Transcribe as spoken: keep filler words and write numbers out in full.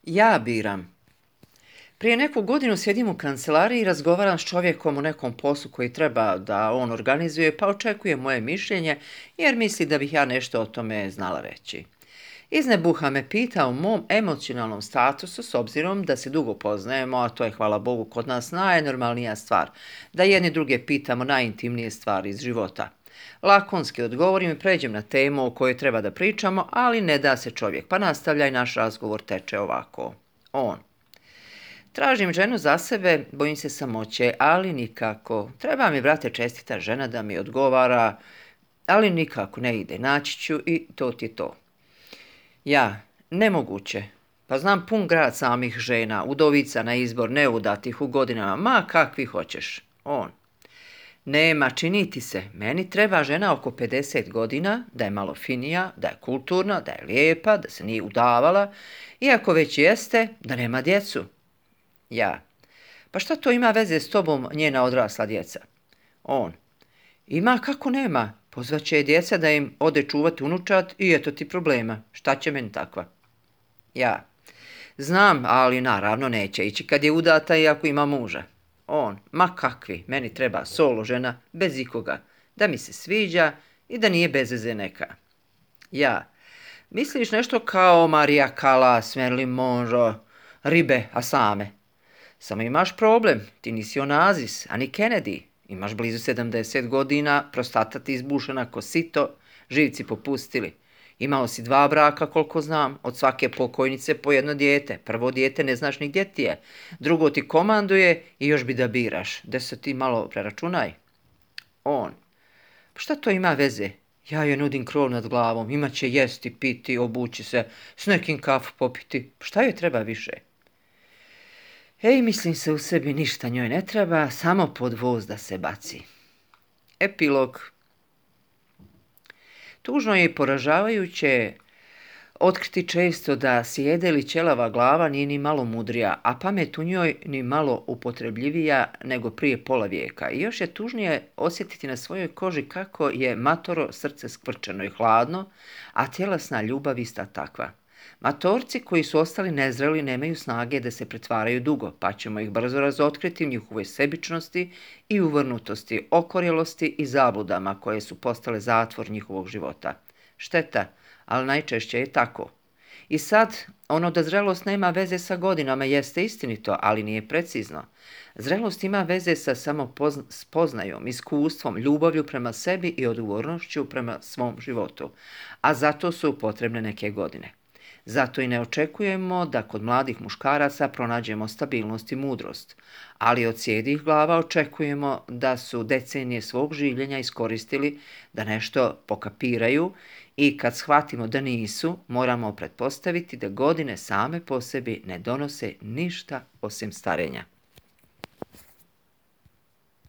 Ja biram. Prije neku godinu sjedim u kancelariji i razgovaram s čovjekom o nekom poslu koji treba da on organizuje, pa očekuje moje mišljenje jer misli da bih ja nešto o tome znala reći. Iznebuha me pita o mom emocionalnom statusu s obzirom da se dugo poznajemo, a to je, hvala Bogu, kod nas najnormalnija stvar, da jedni druge pitamo najintimnije stvari iz života. Lakonski odgovorim i pređem na temu o kojoj treba da pričamo, ali ne da se čovjek, pa nastavlja i naš razgovor teče ovako. On. Tražim ženu za sebe, bojim se samoće, ali nikako. Treba mi, brate, čestita žena da mi odgovara, ali nikako ne ide. Naći ću i to ti je to. Ja, nemoguće. Pa znam pun grad samih žena, udovica na izbor, neudatih u godinama, ma kakvi hoćeš. On. Nema, čini ti se, meni treba žena oko pedeset godina, da je malo finija, da je kulturna, da je lijepa, da se nije udavala, iako već jeste, da nema djecu. Ja. Pa šta to ima veze s tobom, njena odrasla djeca? On. Ima kako nema. Pozvaće je djeca da im ode čuvati unučad i eto ti problema. Šta će meni takva? Ja. Znam, ali naravno neće ići kad je udata i ako ima muža. On. Ma kakvi, meni treba solo žena, bez ikoga. Da mi se sviđa i da nije bez veze neka. Ja. Misliš nešto kao Maria Callas, Marilyn Monroe, ribe, a same? Samo imaš problem, ti nisi Onazis, a ni Kennedy. Imaš blizu sedamdeset godina, prostata ti izbušena ko sito, živci popustili. Imao si dva braka, koliko znam, od svake pokojnice po jedno dijete. Prvo dijete ne znaš ni gdje ti je, drugo ti komanduje i još bi da biraš. Da se ti malo preračunaj. On. Pa šta to ima veze? Ja joj nudim krov nad glavom, imat će jesti, piti, obući se, s nekim kafu popiti. Šta joj treba više? Ej, mislim se u sebi, ništa njoj ne treba, samo pod voz da se baci. Epilog. Tužno je i poražavajuće otkriti često da sjede li ćelava glava nije ni malo mudrija, a pamet u njoj ni malo upotrebljivija nego prije pola vijeka. I još je tužnije osjetiti na svojoj koži kako je matoro srce skvrčeno i hladno, a tjelesna ljubav ista takva. Matorci koji su ostali nezreli nemaju snage da se pretvaraju dugo, pa ćemo ih brzo razotkriti u njihovoj sebičnosti i uvrnutosti, okorjelosti i zabludama koje su postale zatvor njihovog života. Šteta, ali najčešće je tako. I sad, ono da zrelost nema veze sa godinama jeste istinito, ali nije precizno. Zrelost ima veze sa samospoznajom, iskustvom, ljubavlju prema sebi i odgovornošću prema svom životu, a zato su potrebne neke godine. Zato i ne očekujemo da kod mladih muškaraca pronađemo stabilnost i mudrost, ali od sjedih glava očekujemo da su decenije svog življenja iskoristili da nešto pokapiraju i kad shvatimo da nisu, moramo pretpostaviti da godine same po sebi ne donose ništa osim starenja.